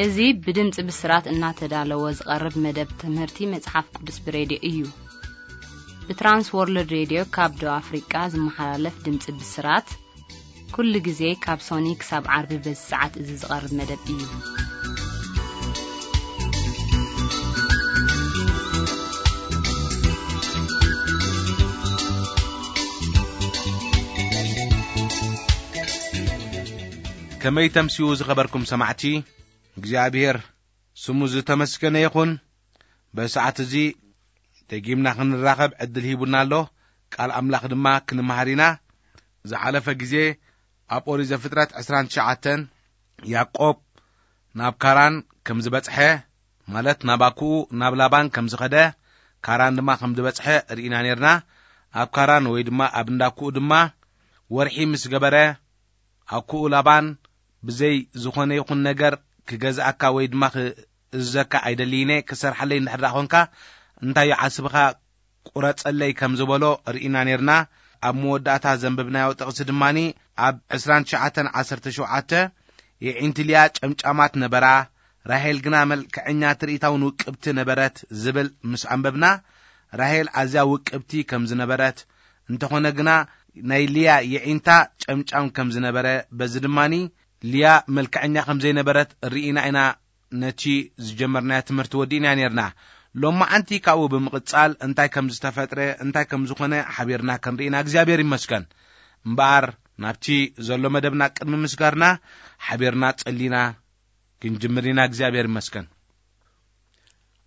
እዚ ብድምፂ ብስራት እናተዳለወ ዝቐርብ መደብ ትምህርቲ መጽሓፍ ቅዱስ ብሬድዮ እዩ። ብትራንስ ወርልድ ሬድዮ ካብ ደቡብ ኣፍሪቃ ዝመሓላለፍ ድምፂ ብስራት፣ ኩሉ ግዜ ካብ ሶኒ ክሳብ ዓርቢ በዚ ሰዓት እዚ ዝቐርብ መደብ እዩ። ከመይ ተምስዩ ዝኸበርኩም ሰማዕቲ፣ እግዚኣብሔር ስሙ ዝተመስገነ ይኹን። በሰዓት እዚ ደጊምና ክንራኸብ ዕድል ሂቡና ኣሎ። ቃል ኣምላኽ ድማ ክንመሃር ኢና። ዝሓለፈ ግዜ ኣብ ኦሪት ዘፍጥረት ዕስራን ትሽዓተን ያዕቆብ ናብ ካራን ከም ዝበጽሐ፣ ማለት ናብ ኣኩኡ ናብ ላባን ከም ዝኸደ፣ ካራን ድማ ከም ዝበጽሐ ርኢና ነርና። ኣብ ካራን ወይ ድማ ኣብ እንዳኩኡ ድማ ወርሒ ምስ ገበረ፣ ኣኩኡ ላባን ብዘይ ዝኾነ ይኹን ነገር ክገዝኣካ ወይ ድማ ክእዝዘካ ኣይደልይነ፣ ክሰርሓለይ እንድሕር ደኣ ኾንካ እንታይ እዩ ዓስብኻ ቁረጸለይ ከም ዝበሎ ርኢና ነርና። ኣብ መወዳእታ ዘንበብናዮ ጥቕሲ ድማኒ ኣብ ዕስራን ትሽዓተን ዓሰርተ ሸውዓተ፣ የዒንቲ ልያ ጨምጫማት ነበራ፣ ራሄል ግና መልክዐኛ ትርኢታውን ውቅብቲ ነበረት ዝብል ምስ ኣንበብና፣ ራሄል ኣዝያ ውቅብቲ ከም ዝነበረት፣ እንተኾነ ግና ናይ ልያ የዒንታ ጨምጫም ከም ዝነበረ፣ በዚ ድማኒ ልያ መልክዐኛ ከም ዘይነበረት ርኢና ኢና ነቲ ዝጀመርናዮ ትምህርቲ ወዲእና ነርና። ሎማዓንቲ ካብኡ ብምቕጻል እንታይ ከም ዝተፈጥረ፣ እንታይ ከም ዝኾነ ሓቢርና ክንርኢና እግዚኣብሔር ይመስገን። እምበኣር ናብቲ ዘሎ መደብና ቅድሚ ምስጋርና ሓቢርና ጸሊና ክንጅምር ኢና። እግዚኣብሔር ይመስገን።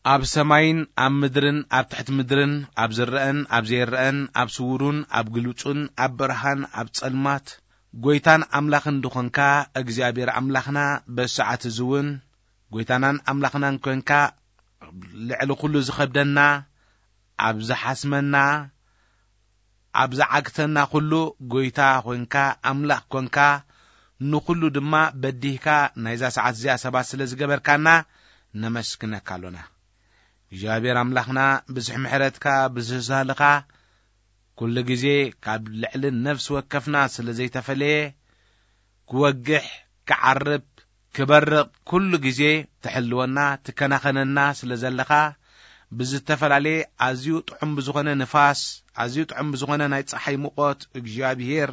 ኣብ ሰማይን ኣብ ምድርን፣ ኣብ ትሕቲ ምድርን፣ ኣብ ዝረአን ኣብ ዘይረአን፣ ኣብ ስውሩን ኣብ ግሉጹን፣ ኣብ ብርሃን ኣብ ጸልማት፣ ጎይታን ኣምላኽን ድኾንካ እግዚኣብሔር ኣምላኽና፣ በሰዓት እዚ እውን ጎይታናን ኣምላኽናን ኮንካ፣ ልዕሊ ኩሉ ዝኸብደና፣ ኣብ ዝሓስመና፣ ኣብ ዝዓግተና ኩሉ ጎይታ ኮንካ፣ ኣምላኽ ኮንካ፣ ንኹሉ ድማ በዲህካ ናይዛ ሰዓት እዚኣ ሰባት ስለ ዝገበርካና ነመስግነካ ኣሎና። እግዚኣብሔር ኣምላኽና፣ ብዝሕ ምሕረትካ፣ ብዝህ ሳህልኻ፣ ኩሉ ግዜ ካብ ልዕሊ ነፍሲ ወከፍና ስለ ዘይተፈለየ፣ ክወግሕ፣ ክዓርብ፣ ክበርቕ፣ ኩሉ ግዜ ትሕልወና፣ ትከናኸነና ስለ ዘለኻ፣ ብዝተፈላለየ ኣዝዩ ጥዑም ብዝኾነ ንፋስ፣ ኣዝዩ ጥዑም ብዝኾነ ናይ ጸሓይ ሙቐት፣ እግዚኣብሔር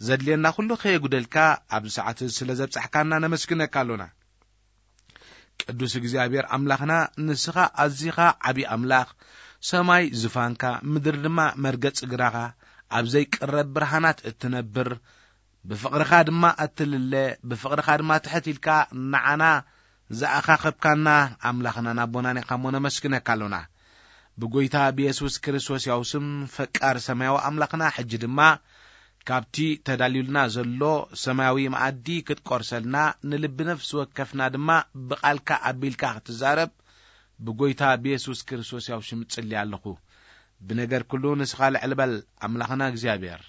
ዘድልየና ኩሉ ከየጉደልካ ኣብዚ ሰዓት እዚ ስለ ዘብጻሕካና ነመስግነካ ኣሎና። ቅዱስ እግዚኣብሔር ኣምላኽና፣ ንስኻ ኣዚኻ ዓቢ ኣምላኽ፣ ሰማይ ዝፋንካ፣ ምድሪ ድማ መርገጺ እግራኻ፣ ኣብ ዘይቅረብ ብርሃናት እትነብር፣ ብፍቕርኻ ድማ እትልለ፣ ብፍቕርኻ ድማ ትሕት ኢልካ ንዓና ዝኣኻኸብካና ኣምላኽናን ኣቦናን ኢኻ እሞ ነመስግነካ ኣሎና። ብጎይታ ብየሱስ ክርስቶስ ያው ስም፣ ፈቃር ሰማያዊ ኣምላኽና፣ ሕጂ ድማ ካብቲ ተዳልዩልና ዘሎ ሰማያዊ መኣዲ ክትቆርሰልና፣ ንልቢ ነፍሲ ወከፍና ድማ ብቓልካ ኣቢልካ ክትዛረብ፣ ብጎይታ ብየሱስ ክርስቶስ ያው ሽም እጽሊ ኣለኹ። ብነገር ኩሉ ንስኻ ልዕል በል ኣምላኽና እግዚኣብሔር።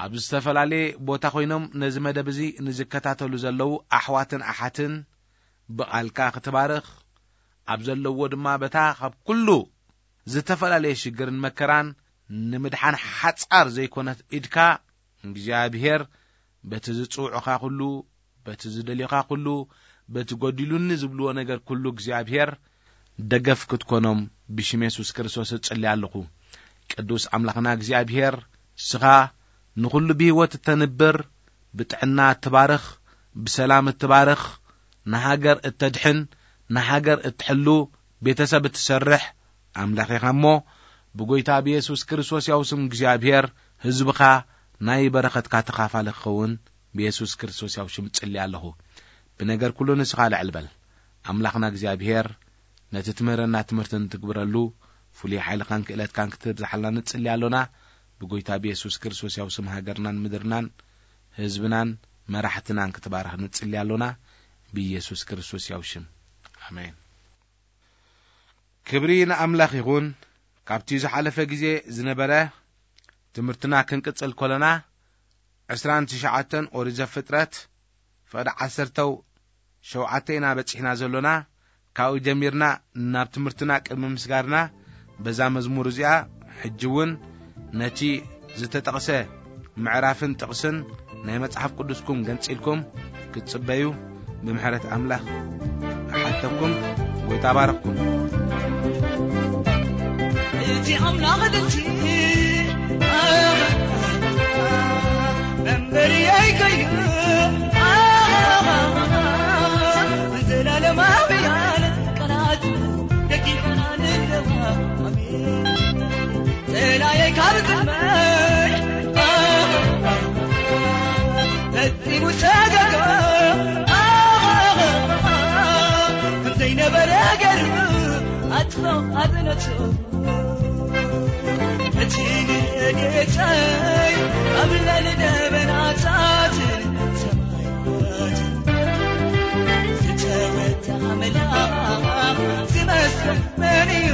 ኣብ ዝተፈላለየ ቦታ ኮይኖም ነዚ መደብ እዚ ንዝከታተሉ ዘለዉ ኣሕዋትን ኣሓትን ብቓልካ ክትባርኽ፣ ኣብ ዘለዎ ድማ በታ ካብ ኩሉ ዝተፈላለየ ሽግርን መከራን ንምድሓን ሓጻር ዘይኮነት ኢድካ፣ እግዚኣብሔር በቲ ዝጽውዑኻ ኩሉ፣ በቲ ዝደልዩኻ ኩሉ፣ በቲ ጎዲሉኒ ዝብልዎ ነገር ኩሉ እግዚኣብሔር ደገፍ ክትኮኖም ብሽም የሱስ ክርስቶስ እጽሊ ኣለኹ። ቅዱስ ኣምላኽና እግዚኣብሔር፣ ንስኻ ንኹሉ ብህይወት እተንብር፣ ብጥዕና እትባርኽ፣ ብሰላም እትባርኽ፣ ንሃገር እተድሕን፣ ንሃገር እትሕሉ፣ ቤተሰብ እትሰርሕ ኣምላኽ ኢኻ እሞ፣ ብጎይታ ብየሱስ ክርስቶስ ያው ስም እግዚኣብሔር ህዝብኻ ናይ በረኸትካ ተኻፋሊ ክኸውን ብየሱስ ክርስቶስ ያው ሽም ጽሊ ኣለኹ። ብነገር ኩሉ ንስኻ ልዕል በል። ኣምላኽና እግዚኣብሔር ነቲ ትምህረና ትምህርቲ እንትግብረሉ ፍሉይ ሓይልኻን ክእለትካን ክትብዝሓልና ንጽሊ ኣሎና። ብጎይታ ብየሱስ ክርስቶስ ያው ስም ሃገርናን ምድርናን ህዝብናን መራሕትናን ክትባርኽ ንጽሊ ኣሎና። ብኢየሱስ ክርስቶስ ያው ሽም። ኣሜን። ክብሪ ንኣምላኽ ይኹን። ካብቲ ዝሓለፈ ግዜ ዝነበረ ትምህርትና ክንቅጽል ከለና፣ ዕስራን ትሽዓተን ኦሪት ዘፍጥረት፣ ፍቕዲ ዓሰርተው ሸውዓተ ኢና በጺሕና ዘሎና። ካብኡ ጀሚርና ናብ ትምህርትና ቅድሚ ምስጋርና፣ በዛ መዝሙር እዚኣ፣ ሕጂ እውን ነቲ ዝተጠቕሰ ምዕራፍን ጥቕስን ናይ መጽሓፍ ቅዱስኩም ገንጺልኩም ክትጽበዩ ብምሕረት ኣምላኽ እሓተኩም። ጎይታ ባረኽኩም። እቲ ኣምላኽ ድምፂ መንበሪ ኣይከይኑ ዘላለማውያን ቃላቱ ደቂቕና ንለዋ። ኣሜን። ጸላኤ ካብ ቅድመይ ፈጺሙ ሰገገ። ከም ዘይነበረ ገይሩ ኣጥፍኦ ኣጽነቶ። እቲ ጌታይ ኣብ ልዕሊ ደበናታትን ሰማያትን ዝተወደኣ መልኣኽ ዝመስል መን እዩ?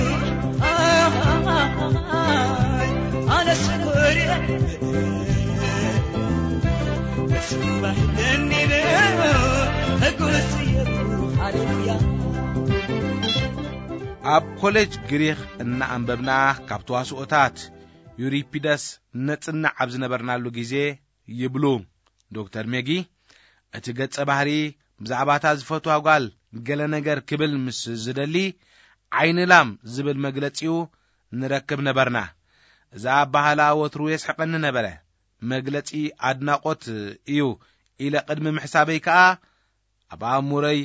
ኣነስ ኮርየ እሱ ባህልን ይበ ሕጉስ እየ። ሃሌሉያ። ኣብ ኮሌጅ ግሪኽ እናኣንበብና ካብ ተዋስኦታት ዩሪፒደስ ነጽንዕ ኣብ ዝነበርናሉ ግዜ ይብሉ ዶክተር ሜጊ፣ እቲ ገጸ ባህሪ ብዛዕባታ ዝፈትዋ ጓል ገለ ነገር ክብል ምስ ዝደሊ ዓይኒ ላም ዝብል መግለጺኡ ንረክብ ነበርና። እዛ ኣባህላ ወትሩ የስሕቐኒ ነበረ። መግለጺ ኣድናቖት እዩ ኢለ ቅድሚ ምሕሳበይ ከኣ ኣብ ኣእምሮይ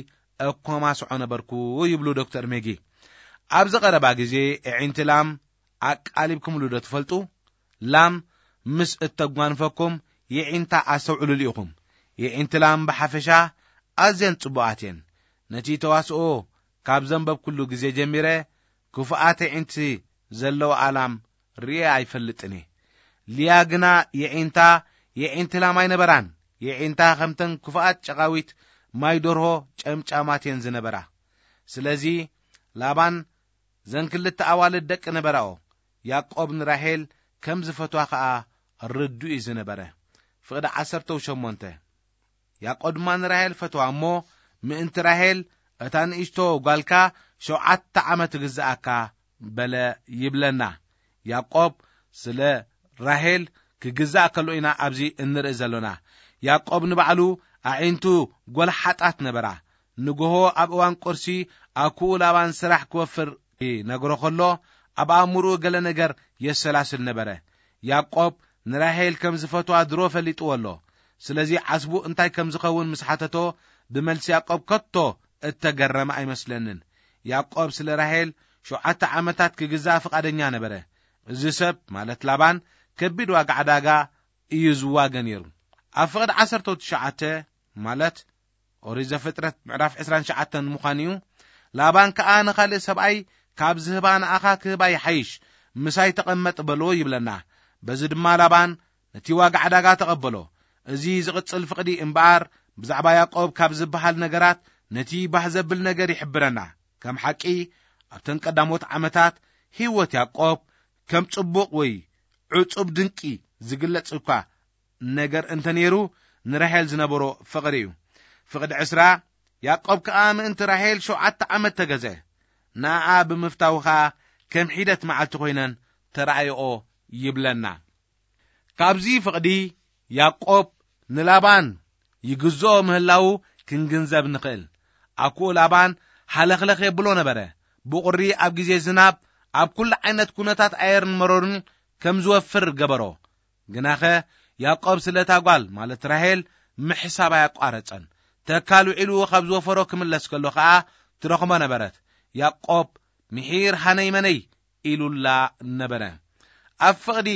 እኮማስዖ ነበርኩ ይብሉ ዶክተር ሜጊ። ኣብዚ ቀረባ ግዜ ኣዒንቲ ላም ኣቃሊብኩምሉ ዶ ትፈልጡ? ላም ምስ እተጓንፈኩም የዒንታ ኣስተውዕሉሉ ኢኹም። የዒንቲ ላም ብሓፈሻ ኣዝየን ጽቡቓት እየን። ነቲ ተዋስኦ ካብ ዘንበብኩሉ ግዜ ጀሚረ ክፉኣት የዒንቲ ዘለዋ ኣላም ርእየ ኣይፈልጥን እየ። ሊያ ግና የዒንታ የዒንቲ ላም ኣይነበራን። የዒንታ ከምተን ክፉኣት ጨቓዊት ማይ ደርሆ ጨምጫማት እየን ዝነበራ። ስለዚ ላባን ዘን ክልተ ኣዋልድ ደቂ ነበራኦ። ያዕቆብ ንራሄል ከም ዝፈትዋ ኸኣ ርዱእ እዩ ዝነበረ። ፍቕዲ ዓሰርተ ሸሞንተ። ያዕቆብ ድማ ንራሄል ፈትዋ እሞ፣ ምእንቲ ራሄል እታ ንእሽቶ ጓልካ ሸውዓተ ዓመት ትግዝኣካ በለ ይብለና። ያዕቆብ ስለ ራሄል ክግዛእ ከሎ ኢና ኣብዚ እንርኢ ዘሎና። ያዕቆብ ንባዕሉ ኣዒንቱ ጐልሓጣት ነበራ። ንግሆ ኣብ እዋን ቁርሲ ኣኩኡ ላባን ስራሕ ክወፍር ይነግሮ ከሎ፣ ኣብ ኣእምሮኡ ገለ ነገር የሰላስል ነበረ። ያዕቆብ ንራሄል ከም ዝፈትዋ ድሮ ፈሊጥዎ ኣሎ። ስለዚ ዓስቡ እንታይ ከም ዝኸውን ምስ ሓተቶ፣ ብመልሲ ያዕቆብ ከቶ እተገረመ ኣይመስለንን። ያዕቆብ ስለ ራሄል ሸውዓተ ዓመታት ክግዛእ ፍቓደኛ ነበረ። እዚ ሰብ፣ ማለት ላባን፣ ከቢድ ዋጋ ዕዳጋ እዩ ዝዋገ ነይሩ። ኣብ ፍቕዲ ዓሰርተ ትሽዓተ፣ ማለት ኦሪት ዘፍጥረት ምዕራፍ ዕስራን ትሽዓተን ምዃኑ እዩ። ላባን ከኣ ንኻልእ ሰብኣይ ካብ ዝህባ ንኣኻ ክህባ ይሓይሽ፣ ምሳይ ተቐመጥ በሎ ይብለና። በዚ ድማ ላባን ነቲ ዋጋ ዕዳጋ ተቐበሎ። እዚ ዝቕጽል ፍቕዲ እምበኣር ብዛዕባ ያዕቆብ ካብ ዝበሃል ነገራት ነቲ ባህ ዘብል ነገር ይሕብረና። ከም ሓቂ ኣብተን ቀዳሞት ዓመታት ህይወት ያዕቆብ ከም ጽቡቕ ወይ ዕጹብ ድንቂ ዝግለጽ እኳ ነገር እንተ ነይሩ፣ ንራሄል ዝነበሮ ፍቕሪ እዩ። ፍቕዲ ዕስራ፣ ያዕቆብ ከኣ ምእንቲ ራሄል ሸውዓተ ዓመት ተገዘ። ንኣኣ ብምፍታው ኸኣ ከም ሒደት መዓልቲ ኮይነን ተራእየኦ ይብለና። ካብዚ ፍቕዲ ያዕቆብ ንላባን ይግዝኦ ምህላዉ ክንግንዘብ ንኽእል። ኣኩኡ ላባን ሃለኽለኽ የብሎ ነበረ። ብቑሪ ኣብ ግዜ ዝናብ ኣብ ኩሉ ዓይነት ኩነታት ኣየርን መረሩን ከም ዝወፍር ገበሮ። ግናኸ ያዕቆብ ስለ እታ ጓል፣ ማለት ራሄል፣ ምሕሳብ ኣያቋረጸን። ተካል ውዒሉ ካብ ዝወፈሮ ክምለስ ከሎ ኸኣ ትረኽቦ ነበረት። ያዕቆብ ምሒር ሃነይ መነይ ኢሉላ ነበረ። ኣብ ፍቕዲ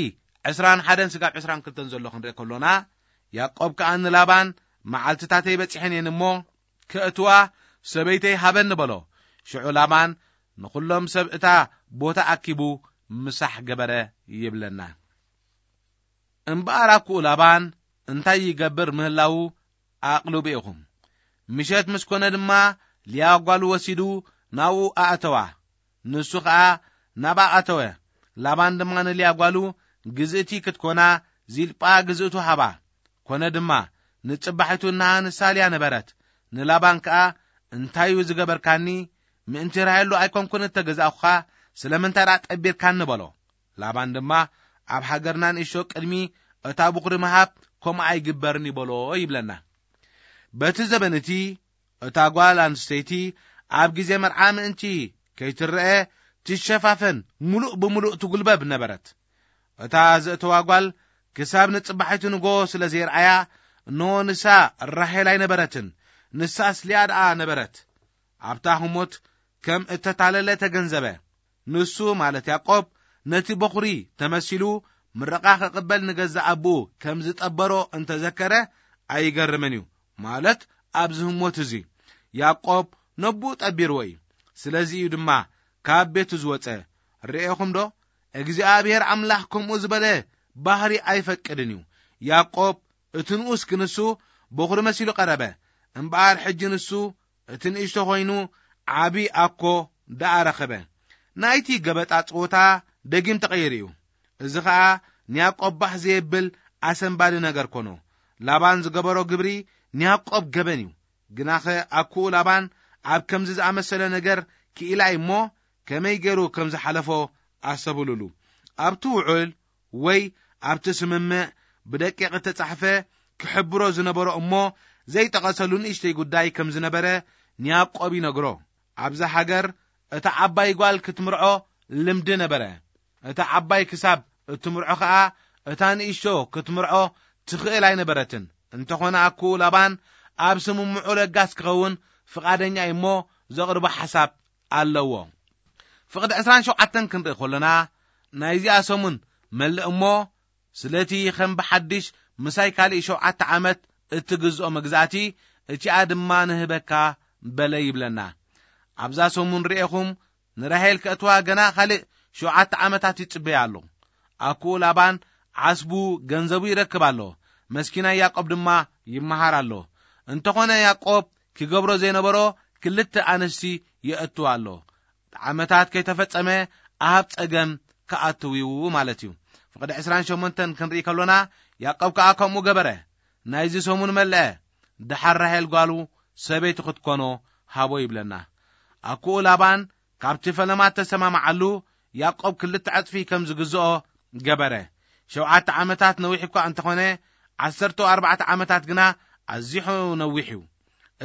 ዕስራን ሓደን ስጋብ ዕስራን ክልተን ዘሎ ክንርኢ ከሎና፣ ያዕቆብ ከኣ ንላባን፣ "መዓልትታተይ በጺሐን እየን እሞ፣ ከእትዋ ሰበይተይ ሃበኒ" በሎ። ሽዑ ላባን ንኹሎም ሰብ እታ ቦታ ኣኪቡ ምሳሕ ገበረ ይብለና። እምበኣር ኣኩኡ ላባን እንታይ ይገብር ምህላዉ ኣቕልቡ ኢኹም። ምሸት ምስ ኮነ ድማ ሊያ ጓሉ ወሲዱ ናብኡ ኣእተዋ። ንሱ ኸኣ ናብኣ ኣተወ። ላባን ድማ ንሊያ ጓሉ፣ "ግዝእቲ ክትኮና ዚልጳ ግዝእቱ ሃባ።" ኮነ ድማ፣ ንጽባሒቱ እንሃ ንሳ ሊያ ነበረት። ንላባን ከኣ፣ "እንታይ እዩ ዝገበርካኒ? ምእንቲ ራሄል ዶ ኣይኮንኩን እተገዛእኩኻ? ስለምንታይ ደኣ ጠቢርካኒ?" በሎ። ላባን ድማ፣ "ኣብ ሃገርና ንእሽቶ ቅድሚ እታ ብኹሪ ምሃብ ከምኡ ኣይግበርን እዩ" በሎ ይብለና። በቲ ዘበን እቲ እታ ጓል ኣንስተይቲ ኣብ ግዜ መርዓ ምእንቲ ከይትረአ ትሸፋፈን፣ ምሉእ ብምሉእ ትጉልበብ ነበረት። እታ ዘእተዋ ጓል ክሳብ ንጽባሒቱ ንጎ ስለ ዘይረኣያ፣ እነሆ ንሳ ራሄል ኣይነበረትን፣ ንሳስ ልያ ደኣ ነበረት። ኣብታ ህሞት ከም እተታለለ ተገንዘበ። ንሱ ማለት ያዕቆብ ነቲ በኹሪ ተመሲሉ ምረቓ ክቕበል ንገዛእ ኣቦኡ ከም ዝጠበሮ እንተዘከረ ኣይገርምን እዩ። ማለት ኣብዚ ህሞት እዚ ያዕቆብ ነቦኡ ጠቢርዎ እዩ። ስለዚ እዩ ድማ ካብ ቤቱ ዝወጸ። ርኤኹም ዶ? እግዚኣብሔር ኣምላኽ ከምኡ ዝበለ ባህሪ ኣይፈቅድን እዩ። ያዕቆብ እቲ ንኡስ ክንሱ በኹሪ መሲሉ ቀረበ። እምበኣር ሕጂ ንሱ እቲ ንእሽቶ ኮይኑ ዓቢ ኣኮ ደኣ ረኸበ። ናይቲ ገበጣ ጸወታ ደጊም ተቐይሩ እዩ። እዚ ኸኣ ንያዕቆብ ባህ ዘየብል ኣሰንባዲ ነገር ኮኖ። ላባን ዝገበሮ ግብሪ ንያዕቆብ ገበን እዩ። ግናኸ ኣኩኡ ላባን ኣብ ከምዚ ዝኣመሰለ ነገር ክኢላ እሞ ከመይ ገይሩ ከም ዝሓለፎ ኣስተብህሉሉ። ኣብቲ ውዑል ወይ ኣብቲ ስምምዕ ብደቂቕ እተጻሕፈ ክሕብሮ ዝነበሮ እሞ ዘይጠቐሰሉ ንእሽተይ ጉዳይ ከም ዝነበረ ንያዕቆብ ይነግሮ። ኣብዛ ሃገር እታ ዓባይ ጓል ክትምርዖ ልምዲ ነበረ። እታ ዓባይ ክሳብ እትምርዖ ኸኣ እታ ንእሽቶ ክትምርዖ ትኽእል ኣይነበረትን። እንተኾነ ኣኩኡ ላባን ኣብ ስምምዑ ለጋስ ክኸውን ፍቓደኛ እዩ እሞ ዘቕርቦ ሓሳብ ኣለዎ። ፍቕዲ ዕስራን ሸውዓተን ክንርኢ ከሎና ናይዚኣ ሰሙን መልእ እሞ ስለቲ ከም ብሓድሽ ምሳይ ካልእ ሸውዓተ ዓመት እትግዝኦ መግዛእቲ እቲኣ ድማ ንህበካ በለ ይብለና። ኣብዛ ሰሙን ርኤኹም ንራሄል ከእትዋ ገና ካልእ ሸውዓተ ዓመታት ይጽበያ ኣሎ። ኣኩኡ ላባን ዓስቡ ገንዘቡ ይረክብ ኣሎ። መስኪናይ ያዕቆብ ድማ ይመሃር ኣሎ። እንተኾነ ያዕቆብ ክገብሮ ዘይነበሮ ክልተ ኣንስቲ የእትዋ ኣሎ። ዓመታት ከይተፈጸመ ኣብ ጸገም ክኣትው እዩ ማለት እዩ። ፍቕዲ ዕስራን ሸሞንተን ክንርኢ ከሎና ያዕቆብ ከኣ ከምኡ ገበረ። ናይዚ ሰሙን መልአ። ደሓር ራሄል ጓሉ ሰበይቲ ክትኮኖ ሃቦ ይብለና። ኣኩኡ ላባን ካብቲ ፈለማ ተሰማማዓሉ ያዕቆብ ክልተ ዕጽፊ ከም ዝግዝኦ ገበረ። ሸውዓተ ዓመታት ነዊሕ እኳ እንተኾነ ዓሰርተ ኣርባዕተ ዓመታት ግና ኣዚሑ ነዊሕ እዩ።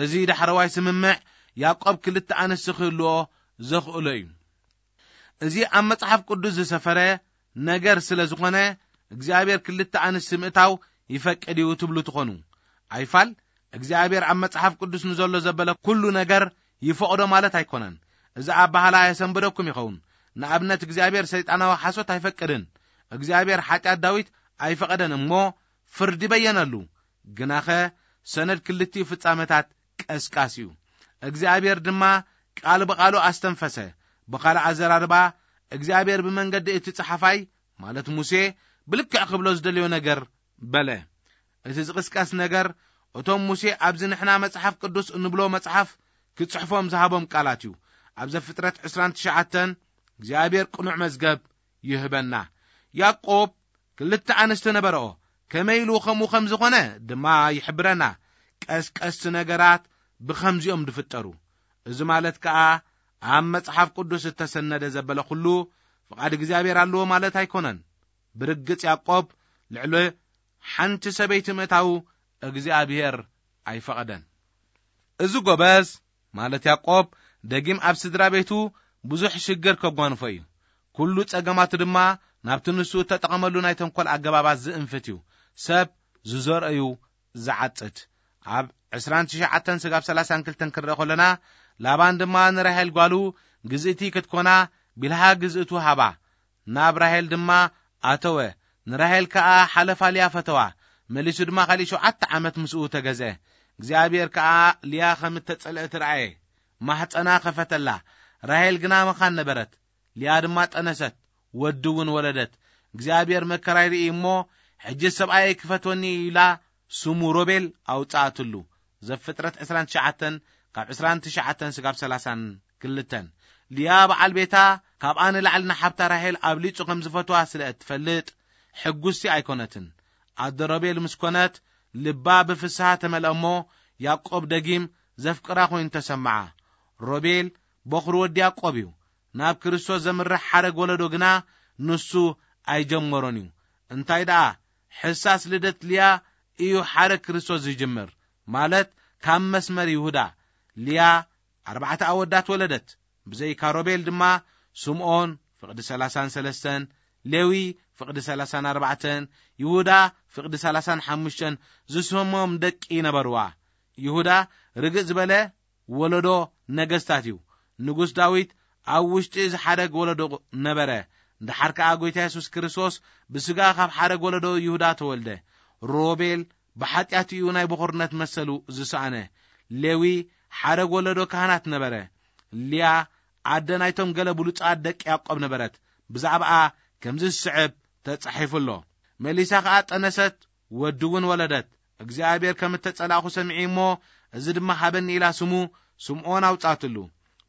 እዚ ዳሕረዋይ ስምምዕ ያዕቆብ ክልተ ኣንስቲ ክህልዎ ዘኽእሎ እዩ። እዚ ኣብ መጽሓፍ ቅዱስ ዝሰፈረ ነገር ስለ ዝኾነ እግዚኣብሔር ክልተ ኣንስቲ ምእታው ይፈቅድ እዩ ትብሉ ትኾኑ። ኣይፋል እግዚኣብሔር ኣብ መጽሓፍ ቅዱስ ንዘሎ ዘበለ ኩሉ ነገር ይፈቕዶ ማለት ኣይኮነን። እዚ ኣባህላ የሰንብደኩም ይኸውን። ንኣብነት እግዚኣብሔር ሰይጣናዊ ሓሶት ኣይፈቅድን። እግዚኣብሔር ሓጢኣት ዳዊት ኣይፈቐደን እሞ ፍርዲ በየነሉ። ግናኸ ሰነድ ክልቲኡ ፍጻመታት ቀስቃስ እዩ። እግዚኣብሔር ድማ ቃል ብቓሉ ኣስተንፈሰ። ብኻልእ ኣዘራርባ እግዚኣብሔር ብመንገዲ እቲ ጸሓፋይ ማለት ሙሴ ብልክዕ ክብሎ ዝደለዮ ነገር በለ። እቲ ዝቕስቀስ ነገር እቶም ሙሴ ኣብዚ ንሕና መጽሓፍ ቅዱስ እንብሎ መጽሓፍ ክጽሕፎም ዝሃቦም ቃላት እዩ። ኣብ ዘፍጥረት ዕስራን ትሽዓተን እግዚኣብሔር ቅኑዕ መዝገብ ይህበና። ያዕቆብ ክልተ ኣንስቲ ነበረኦ። ከመይ ኢሉ ከምኡ ከም ዝኾነ ድማ ይሕብረና። ቀስቀስቲ ነገራት ብኸምዚኦም ዝፍጠሩ። እዚ ማለት ከኣ ኣብ መጽሓፍ ቅዱስ እተሰነደ ዘበለ ኩሉ ፍቓድ እግዚኣብሔር ኣለዎ ማለት ኣይኮነን። ብርግጽ ያዕቆብ ልዕሊ ሓንቲ ሰበይቲ ምእታው እግዚኣብሔር ኣይፈቐደን። እዚ ጎበዝ ማለት ያዕቆብ ደጊም ኣብ ስድራ ቤቱ ብዙሕ ሽግር ከጓንፎ እዩ። ኩሉ ጸገማቱ ድማ ናብቲ ንሱ እተጠቐመሉ ናይ ተንኮል ኣገባባት ዝእንፍት እዩ። ሰብ ዝዘርኦ እዩ ዝዓጽድ። ኣብ ዕስራን ትሽዓተን ስጋብ ሰላሳን ክልተን ክንርኢ ከለና፣ ላባን ድማ ንራሄል ጓሉ ግዝእቲ ክትኮና ቢልሃ ግዝእቱ ሃባ። ናብ ራሄል ድማ ኣተወ። ንራሄል ከኣ ሓለፋ ልያ ፈተዋ። መሊሱ ድማ ካልእ ሸውዓተ ዓመት ምስኡ ተገዝአ። እግዚኣብሔር ከኣ ልያ ከም እተጸልአት ረኣየ። ማሕጸና ከፈተላ። ራሄል ግና መኻን ነበረት። ልያ ድማ ጠነሰት፣ ወዲ እውን ወለደት። እግዚኣብሔር መከራይ ርኢ እሞ፣ ሕጂ ሰብኣየይ ክፈትወኒ ኢላ ስሙ ሮቤል ኣውጽኣትሉ። ዘፍጥረት ዕስራን ትሽዓተን ካብ ዕስራን ትሽዓተን ስጋብ ሰላሳን ክልተን። ልያ በዓል ቤታ ካብኣ ንላዕሊ ንሓብታ ራሄል ኣብሊጹ ከም ዝፈትዋ ስለ እትፈልጥ፣ ሕጉስቲ ኣይኮነትን። ኣደ ሮቤል ምስ ኮነት፣ ልባ ብፍስሃ ተመልአ እሞ፣ ያዕቆብ ደጊም ዘፍቅራ ኮይኑ ተሰምዓ። ሮቤል በኹሪ ወዲ ያዕቆብ እዩ። ናብ ክርስቶስ ዘምርሕ ሓረግ ወለዶ ግና ንሱ ኣይጀመሮን እዩ። እንታይ ደኣ፣ ሕሳስ ልደት ልያ እዩ ሓረግ ክርስቶስ ዝጅምር፣ ማለት ካብ መስመር ይሁዳ። ልያ ኣርባዕተ ኣወዳት ወለደት። ብዘይካ ሮቤል ድማ ስምዖን፣ ፍቕዲ ሰላሳን ሰለስተን፣ ሌዊ፣ ፍቕዲ ሰላሳን ኣርባዕተን፣ ይሁዳ፣ ፍቕዲ ሰላሳን ሓሙሽተን ዝስሞም ደቂ ነበርዋ። ይሁዳ ርግእ ዝበለ ወለዶ ነገስታት እዩ። ንጉስ ዳዊት ኣብ ውሽጢ እዚ ሓደግ ወለዶ ነበረ። ደሓር ከኣ ጎይታ የሱስ ክርስቶስ ብስጋ ካብ ሓደግ ወለዶ ይሁዳ ተወልደ። ሮቤል ብሓጢኣት እዩ ናይ በኹርነት መሰሉ ዝሰኣነ። ሌዊ ሓደግ ወለዶ ካህናት ነበረ። ልያ ኣደ ናይቶም ገለ ብሉጻት ደቂ ያዕቆብ ነበረት። ብዛዕባኣ ከምዚ ዝስዕብ ተጻሒፉ ኣሎ። መሊሳ ከኣ ጠነሰት፣ ወዲ እውን ወለደት። እግዚኣብሔር ከም እተጸላእኹ ሰሚዐ እሞ፣ እዚ ድማ ሃበኒ ኢላ ስሙ ስምዖን ኣውጻትሉ።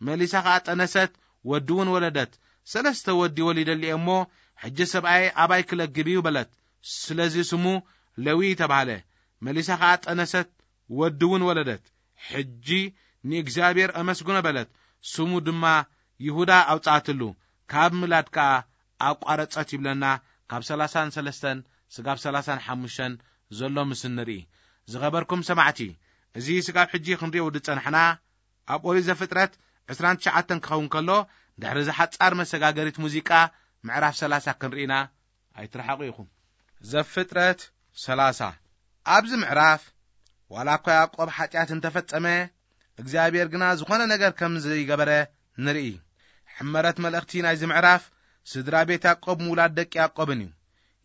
መሊሳ ከኣ ጠነሰት፣ ወዲ እውን ወለደት። ሰለስተ ወዲ ወሊደሉ እየ እሞ፣ ሕጂ ሰብኣይ ኣባይ ክለግብ እዩ በለት። ስለዚ ስሙ ሌዊ ተባህለ። መሊሳ ከኣ ጠነሰት፣ ወዲ እውን ወለደት። ሕጂ ንእግዚኣብሔር ኣመስግኖ በለት። ስሙ ድማ ይሁዳ ኣውጻትሉ። ካብ ምላድ ከኣ ኣቋረጸት ይብለና። ካብ ሰላሳን ሰለስተን ስጋብ ሰላሳን ሓሙሽተን ዘሎ ምስ ንርኢ። ዝኸበርኩም ሰማዕቲ፣ እዚ ስጋብ ሕጂ ክንሪኦ ዝጸናሕና ኣብ ኦሪት ዘፍጥረት ዕስራን ትሽዓተን ክኸውን ከሎ፣ ድሕሪ እዚ ሓጻር መሰጋገሪት ሙዚቃ ምዕራፍ ሰላሳ ክንርኢና ኣይትረሓቑ ኢኹም። ዘፍጥረት ሰላሳ። ኣብዚ ምዕራፍ ዋላ እኳ ያዕቆብ ሓጢኣት እንተፈጸመ፣ እግዚኣብሔር ግና ዝኾነ ነገር ከም ዘይገበረ ንርኢ። ሕመረት መልእኽቲ ናይዚ ምዕራፍ ስድራ ቤት ያዕቆብ ምውላድ ደቂ ያዕቆብን እዩ።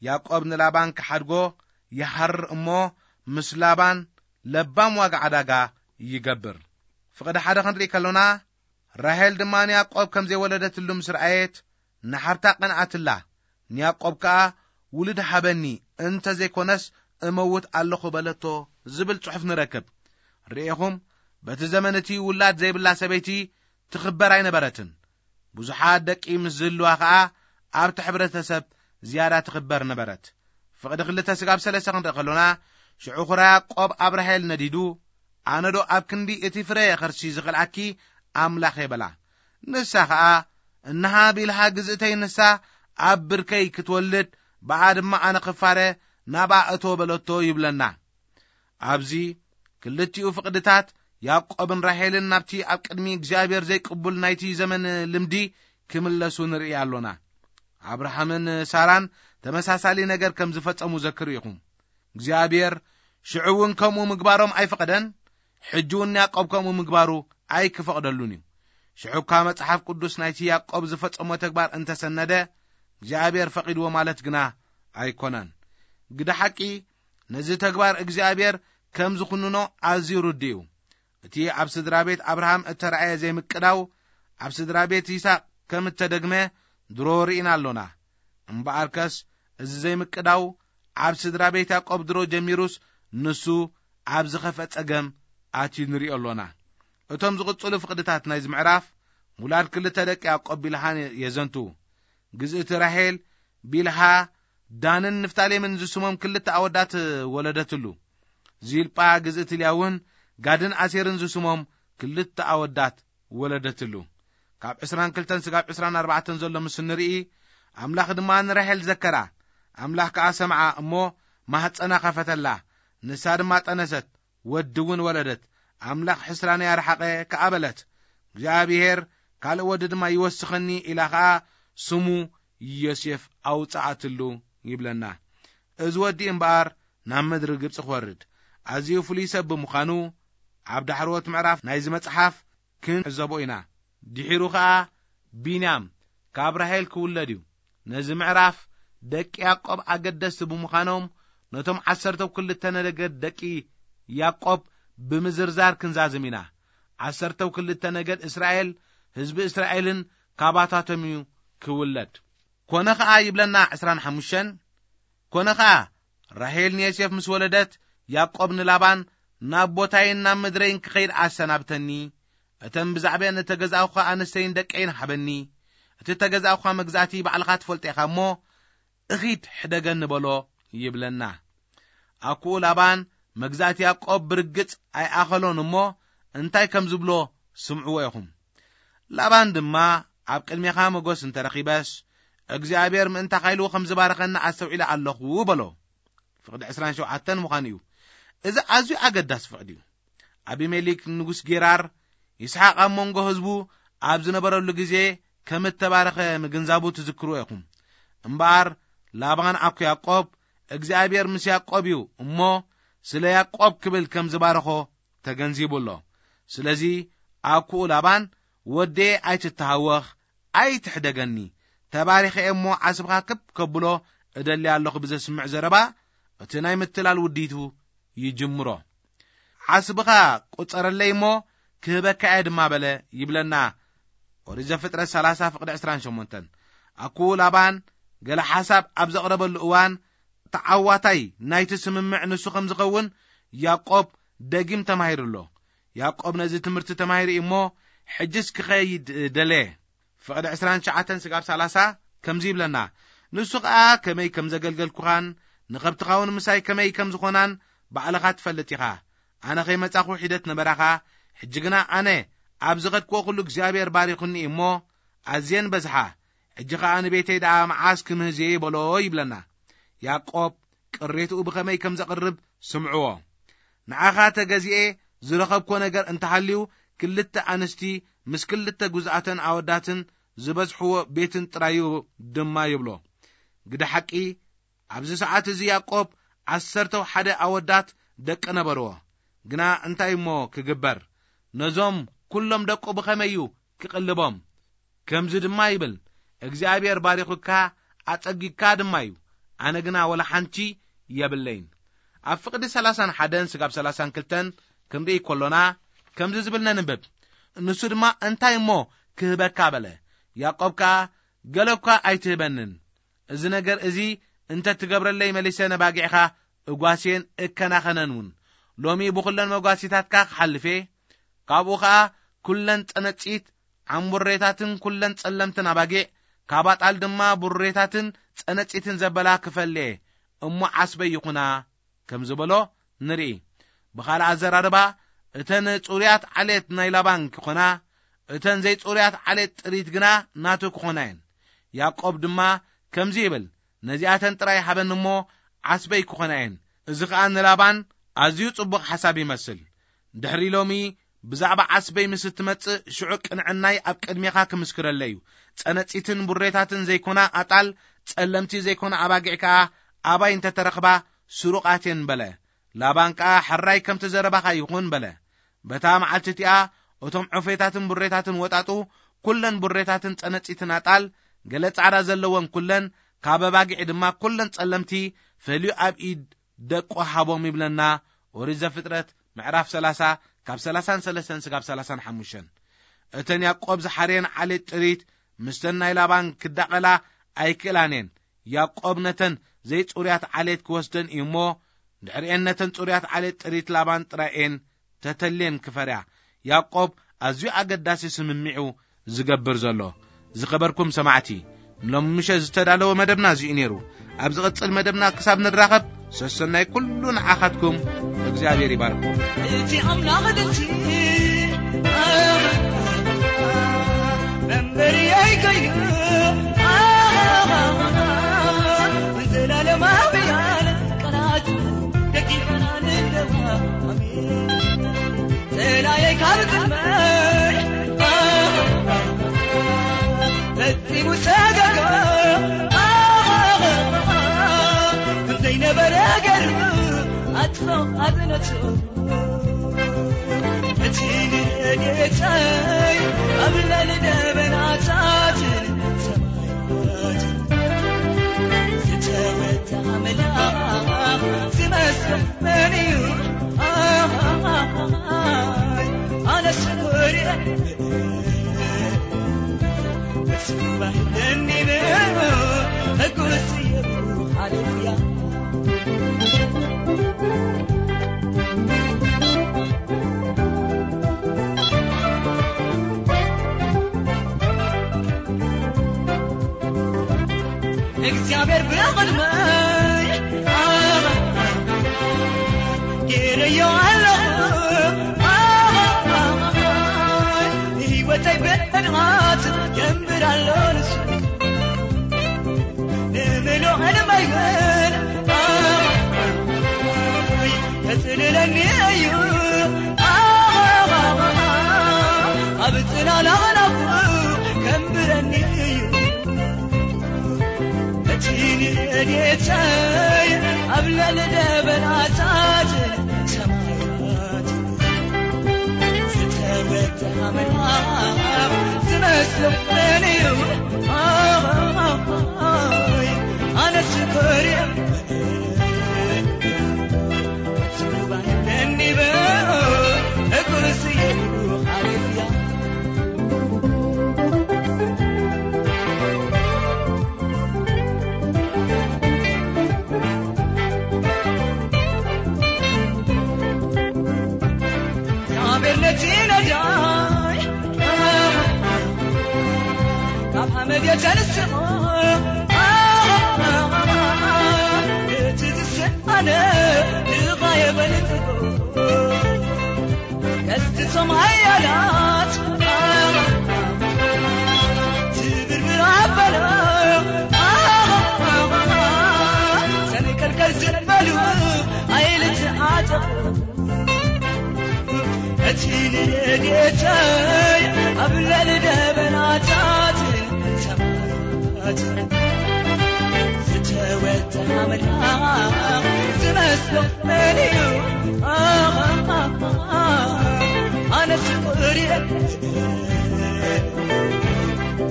ያዕቆብ ንላባን ክሓድጎ ይሃርር እሞ፣ ምስ ላባን ለባም ዋጋ ዕዳጋ ይገብር። ፍቕዲ ሓደ ክንርኢ ከሎና፣ ራሄል ድማ ንያዕቆብ ከም ዘይወለደትሉ ምስ ረኣየት፣ ንሓብታ ቀንኣትላ። ንያዕቆብ ከኣ፣ "ውሉድ ሃበኒ፣ እንተ ዘይኮነስ እመውት ኣለኹ" በለቶ ዝብል ጽሑፍ ንረክብ። ርኤኹም፣ በቲ ዘመን እቲ ውላድ ዘይብላ ሰበይቲ ትኽበር ኣይነበረትን። ብዙሓት ደቂ ምስ ዝህልዋ ኸኣ ኣብቲ ሕብረተሰብ ዝያዳ ትኽበር ነበረት። ፍቕዲ ክልተ ስጋብ ሰለስተ ክንርኢ ከሎና፣ ሽዑ ኹራ ያዕቆብ ኣብ ራሄል ነዲዱ፣ "ኣነዶ ኣብ ክንዲ እቲ ፍረ ኸርሲ ዝኸልኣኪ ኣምላኽ እየ" በላ። ንሳ ኸኣ፣ "እንሃ ቢልሃ ግዝእተይ ንሳ ኣብ ብርከይ ክትወልድ፣ ብኣ ድማ ኣነ ክፋረ ናብኣ እቶ" በለቶ ይብለና። ኣብዚ ክልቲኡ ፍቕድታት ያዕቆብን ራሄልን ናብቲ ኣብ ቅድሚ እግዚኣብሔር ዘይቅቡል ናይቲ ዘመን ልምዲ ክምለሱ ንርኢ ኣሎና። ኣብርሃምን ሳራን ተመሳሳሊ ነገር ከም ዝፈጸሙ ዘክሩ ኢኹም። እግዚኣብሔር ሽዑ እውን ከምኡ ምግባሮም ኣይፈቐደን፣ ሕጂ እውን ንያዕቆብ ከምኡ ምግባሩ ኣይክፈቕደሉን እዩ። ሽዑ እኳ መጽሓፍ ቅዱስ ናይቲ ያዕቆብ ዝፈጸሞ ተግባር እንተሰነደ፣ እግዚኣብሔር ፈቒድዎ ማለት ግና ኣይኮነን። ግደ ሓቂ፣ ነዚ ተግባር እግዚኣብሔር ከም ዝኹንኖ ኣዝዩ ርዱእ እዩ። እቲ ኣብ ስድራ ቤት ኣብርሃም እተራእየ ዘይምቅዳው፣ ኣብ ስድራ ቤት ይስሐቅ ከም እተደግመ ድሮ ርኢና ኣሎና። እምበኣርከስ፣ እዚ ዘይምቅዳው ኣብ ስድራ ቤት ያዕቆብ ድሮ ጀሚሩስ፣ ንሱ ኣብ ዝኸፍአ ጸገም ኣትዩ ንሪኦ ኣሎና። እቶም ዝቕጽሉ ፍቕድታት ናይዚ ምዕራፍ፣ ምውላድ ክልተ ደቂ ያዕቆብ ቢልሃን የዘንቱ። ግዝእቲ ራሄል፣ ቢልሃ፣ ዳንን ንፍታሌምን ዝስሞም ክልተ ኣወዳት ወለደትሉ። ዚልጳ ግዝእቲ ልያ እውን፣ ጋድን ኣሴርን ዝስሞም ክልተ ኣወዳት ወለደትሉ። ካብ ዕስራን ክልተን ስጋብ ዕስራን ኣርባዕተን ዘሎ ምስ ንርኢ፣ ኣምላኽ ድማ ንራሄል ዘከራ። ኣምላኽ ከኣ ሰምዓ እሞ ማህጸና ከፈተላ። ንሳ ድማ ጠነሰት፣ ወዲ እውን ወለደት። ኣምላኽ ሕስራነይ ኣርሓቐ ከኣ በለት። እግዚኣብሔር ካልእ ወዲ ድማ ይወስኸኒ ኢላ ኸኣ ስሙ ዮሴፍ ኣውጽኣትሉ ይብለና። እዚ ወዲ እምበኣር ናብ ምድሪ ግብጺ ክወርድ ኣዝዩ ፍሉይ ሰብ ብምዃኑ፣ ኣብ ዳሕረዎት ምዕራፍ ናይዚ መጽሓፍ ክንዕዘቦ ኢና። ድሒሩ ኸኣ ቢንያም ካብ ራሄል ክውለድ እዩ። ነዚ ምዕራፍ ደቂ ያዕቆብ ኣገደስቲ ብምዃኖም፣ ነቶም ዓሰርተው ክልተ ነገድ ደቂ ያዕቆብ ብምዝርዛር ክንዛዝም ኢና። ዓሰርተው ክልተ ነገድ እስራኤል፣ ህዝቢ እስራኤልን ካባታቶም እዩ ክውለድ። ኮነ ኸኣ ይብለና ዕስራን ሓሙሽተን፣ ኮነ ኸኣ ራሄል ንዮሴፍ ምስ ወለደት፣ ያዕቆብ ንላባን፣ "ናብ ቦታይን ናብ ምድረይን ክኸይድ ኣሰናብተኒ፣ እተን ብዛዕባኤን እተገዛእኹኻ ኣንስተይን ደቀይን ሃበኒ፣ እቲ እተገዛእኹኻ መግዛእቲ ባዕልኻ ትፈልጦ ኢኻ እሞ፣ እኺድ ሕደገኒ" በሎ ይብለና። ኣኩኡ ላባን መግዛእቲ ያዕቆብ ብርግጽ ኣይኣኸሎን እሞ፣ እንታይ ከም ዝብሎ ስምዕዎ ኢኹም። ላባን ድማ፣ "ኣብ ቅድሜኻ መጎስ እንተ ረኺበስ፣ እግዚኣብሔር ምእንታኻ ኢሉ ከም ዝባረኸኒ ኣስተውዒለ ኣለኹ" በሎ። ፍቕዲ ዕስራን ሸውዓተን ምዃኑ እዩ። እዚ ኣዝዩ ኣገዳሲ ፍቕዲ እዩ። ኣቢሜሌክ ንጉስ ጌራር ይስሓቅ ኣብ መንጎ ህዝቡ ኣብ ዝነበረሉ ግዜ ከም እተባረኸ ምግንዛቡ ትዝክርዎ ኢኹም። እምበኣር ላባን ኣኮ ያዕቆብ እግዚኣብሔር ምስ ያዕቆብ እዩ እሞ ስለ ያዕቆብ ክብል ከም ዝባረኾ ተገንዚቡ ኣሎ። ስለዚ ኣኩኡ ላባን፣ "ወዴ ኣይትተሃወኽ፣ ኣይትሕደገኒ፣ ተባሪኸ እየ እሞ ዓስብኻ ክብ ከብሎ እደሊ ኣለኹ" ብዘስምዕ ዘረባ እቲ ናይ ምትላል ውዲቱ ይጅምሮ። "ዓስብኻ ቁጸረለይ እሞ ክህበካ እየ ድማ" በለ ይብለና ኦሪት ዘፍጥረት ሰላሳ ፍቕዲ ዕስራን ሸሞንተን። ኣኩኡ ላባን ገለ ሓሳብ ኣብ ዘቕረበሉ እዋን ተዓዋታይ ናይቲ ስምምዕ ንሱ ከም ዝኸውን ያዕቆብ ደጊም ተማሂሩ ኣሎ። ያዕቆብ ነዚ ትምህርቲ ተማሂሩ እዩ እሞ ሕጅስ ክኸይድ ደለየ። ፍቕዲ ዕስራን ትሽዓተን ስጋብ ሰላሳ ከምዚ ይብለና፣ "ንሱ ኸኣ ከመይ ከም ዘገልገልኩኻን ንኸብትኻ እውን ምሳይ ከመይ ከም ዝኾናን ባዕልኻ ትፈልጥ ኢኻ። ኣነ ኸይመጻኹ ሒደት ነበራኻ፣ ሕጂ ግና ኣነ ኣብ ዝኸድክዎ ኩሉ እግዚኣብሔር ባሪኹኒ እዩ እሞ ኣዝየን በዝሓ። ሕጂ ኸኣ ንቤተይ ደኣ መዓስ ክምህዝየ?" በሎ ይብለና። ያዕቆብ ቅሬትኡ ብኸመይ ከም ዘቕርብ ስምዕዎ። "ንዓኻ ተገዚኤ ዝረኸብኮ ነገር እንተሃልዩ ክልተ ኣንስቲ ምስ ክልተ ጉዝኣተን ኣወዳትን ዝበዝሕዎ ቤትን ጥራዩ ድማ" ይብሎ። ግደ ሓቂ ኣብዚ ሰዓት እዚ ያዕቆብ ዓሰርተው ሓደ ኣወዳት ደቂ ነበርዎ። ግና እንታይ እሞ ክግበር? ነዞም ኩሎም ደቁ ብኸመይ እዩ ክቕልቦም? ከምዚ ድማ ይብል፣ "እግዚኣብሔር ባሪኹካ ኣጸጊግካ ድማ እዩ፣ ኣነ ግና ወላ ሓንቲ የብለይን።" ኣብ ፍቕዲ ሰላሳን ሓደን ስጋብ ሰላሳን ክልተን ክንርኢ ከሎና ከምዚ ዝብል ነንብብ፣ "ንሱ ድማ እንታይ እሞ ክህበካ?" በለ። ያዕቆብ ከኣ፣ "ገለ እኳ ኣይትህበንን፣ እዚ ነገር እዚ እንተ ትገብረለይ መሊሰ ነባጊዕኻ እጓስየን እከናኸነን እውን። ሎሚ ብኹለን መጓሲታትካ ክሓልፍ እየ፣ ካብኡ ኸኣ ኩለን ጸነጺት ዓምቡሬታትን ኩለን ጸለምትን ኣባጊዕ፣ ካብ ኣጣል ድማ ቡሬታትን ጸነጺትን ዘበላ ክፈሊ እየ፣ እሞ ዓስበይ ይኹና" ከም ዝበሎ ንርኢ። ብኻልእ ኣዘራርባ፣ እተን ጽሩያት ዓሌት ናይ ላባን ክኾና፣ እተን ዘይጽሩያት ዓሌት ጥሪት ግና ናቱ ክኾና እየን። ያዕቆብ ድማ ከምዚ ይብል፣ "ነዚኣተን ጥራይ ሃበኒ እሞ ዓስበይ ክኾና እየን።" እዚ ኸኣ ንላባን ኣዝዩ ጽቡቕ ሓሳብ ይመስል። ድሕሪ ሎሚ ብዛዕባ ዓስበይ ምስ እትመጽእ፣ ሽዑ ቅንዕናይ ኣብ ቅድሜኻ ክምስክረለይ እዩ። ጸነጺትን ቡሬታትን ዘይኮና ኣጣል፣ ጸለምቲ ዘይኮና ኣባጊዕ ከኣ ኣባይ እንተ ተረኽባ ስሩቓት እየን በለ። ላባን ከኣ፣ "ሕራይ ከምቲ ዘረባኻ ይኹን" በለ። በታ መዓልቲ እቲኣ እቶም ዑፌታትን ቡሬታትን ወጣጡ፣ ኩለን ቡሬታትን ጸነጺትን ኣጣል፣ ገለ ጻዕዳ ዘለወን ኩለን፣ ካብ ኣባጊዕ ድማ ኩለን ጸለምቲ ፈልዩ ኣብ ኢድ ደቁ ሃቦም ይብለና ኦሪት ዘፍጥረት ምዕራፍ ሰላሳ ካብ ሰላሳን ሰለስተን ስጋብ ሰላሳን ሓሙሽተን። እተን ያዕቆብ ዝሓርየን ዓሌት ጥሪት ምስተን ናይ ላባን ክዳቐላ ኣይክእላን እየን። ያዕቆብ ነተን ዘይጽሩያት ዓሌት ክወስደን እዩ እሞ፣ ድሕሪኤን ነተን ጽሩያት ዓሌት ጥሪት ላባን ጥራይ እየን ተተልየን ክፈርያ። ያዕቆብ ኣዝዩ ኣገዳሲ ስምምዕ እዩ ዝገብር ዘሎ። ዝኸበርኩም ሰማዕቲ፣ ንሎሚ ምሸት ዝተዳለወ መደብና እዚ'ዩ ነይሩ። ኣብ ዝቕጽል መደብና ክሳብ ንራኸብ፣ ሰሰናይ ኩሉ ንዓኻትኩም፣ እግዚኣብሔር ይባርኩም። እቲ ኣምላኽ ድምፂ መንበሪ ኣይከይኑ፣ ዘላለማውያን ቃላት ደጊፈና ንለዋ። ኣሜን። ጸላኤ ካብ ቅድመይ ፈጺሙ ሰገገ። ከም ዘይነበረ ገይሩ ኣጥፍኦ ኣዝነቱ። እቲ ንረድኤተይ ኣብ ልዕሊ ደበናታትን ሰማያትን ዝተወ ኣምላኽ ዝመስል መን እዩ? ኣይ፣ ኣነስ ኮርየ። ተስፋ ኣለኒ ብእምነት ሕጉስ እየ። ሃሌሉያ። እግዚኣብሔር ብቕድመይ ገይረዮ ኣለኹ። ህይወተይ ብዕድማት ጀምር ኣሎ ንሱ። ንምሉእ ዕድመይ እውን ከጽልለኒ እዩ። ጽላላናኹ ከንብረኒ እዩ። እቲ ንረድኤተይ ኣብ ልዕሊ ደበናታት ሰማያት ዝተወድአ መልኣኽ ዝመስሎ መን እዩ? ኣይ፣ ኣነስ ኮርየ ካብ ሓመድ የተንስኦ እቲ ዝስኣነ ድኻ የበልጽጎ። ቀስቲ ሶማያላት ትብርብር ኣበለ ሰንከልከል ዝበሉ ኣይልትዓጠቑ። እቲ ንረድኤተይ ኣብ ልዕሊ ደበናታት ሰማያት ዝተወድአ መልኣኽ ዝመስሎ መን እዩ? ኣነስ ፍቕሪ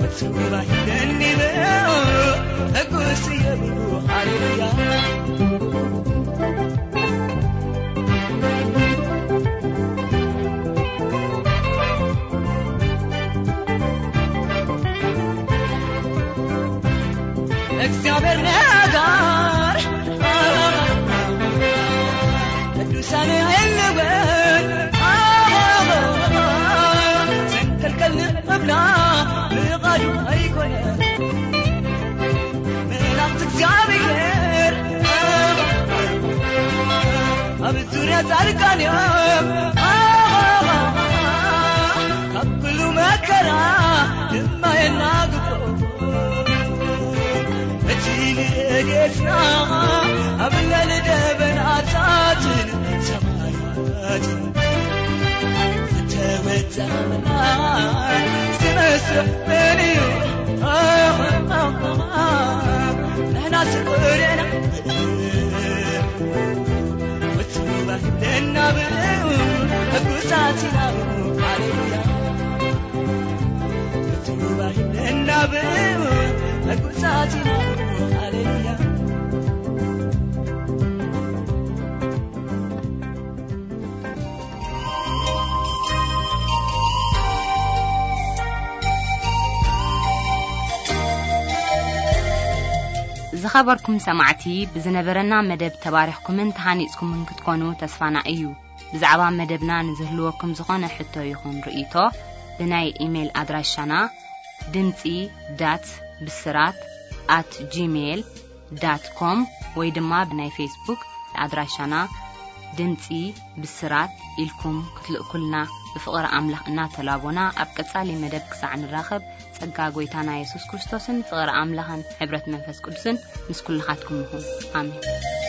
እቲ ባሂለኒ ሕጉስ እየ ብሉ። ሃሌሉያ። እግዚኣብሔር ነጋር ቅዱሳን የልወን ሰንከልከል ንብላ ብቓዱ ኣይኮነ መላእክት እግዚኣብሔር ኣብ ዙርያ ጻድቃን እዮም። ካብ ኩሉ መከራ ድማ የናግፎ። እቲ ንረድኤትና ኣብ ልዕሊ ደበናታትን ሰማያትን ዝተወድአ መልኣኽ ዝመስሎ መን እዩ? ንሕና ስቁር ኢና ምትውባይ ለናብኡ ሕጉሳት ኢና። ሃሌሉያ። ምትውባይ ለናብኡ ሕጉሳት ኢና። ሃሌሉያ። ዝኸበርኩም ሰማዕቲ፣ ብዝነበረና መደብ ተባሪኽኩምን ተሃኒጽኩምን ክትኮኑ ተስፋና እዩ። ብዛዕባ መደብና ንዝህልወኩም ዝኾነ ሕቶ ይኹን ርእይቶ፣ ብናይ ኢሜይል ኣድራሻና ድምጺ ዳት ብስራት ኣት ጂሜይል ዳት ኮም ወይ ድማ ብናይ ፌስቡክ ኣድራሻና ድምጺ ብስራት ኢልኩም ክትልእኩልና ብፍቕሪ ኣምላኽ እናተላቦና፣ ኣብ ቀጻሊ መደብ ክሳዕ ንራኸብ፣ ጸጋ ጐይታና የሱስ ክርስቶስን ፍቕሪ ኣምላኽን ሕብረት መንፈስ ቅዱስን ምስ ኩልኻትኩም ይኹን። ኣሜን።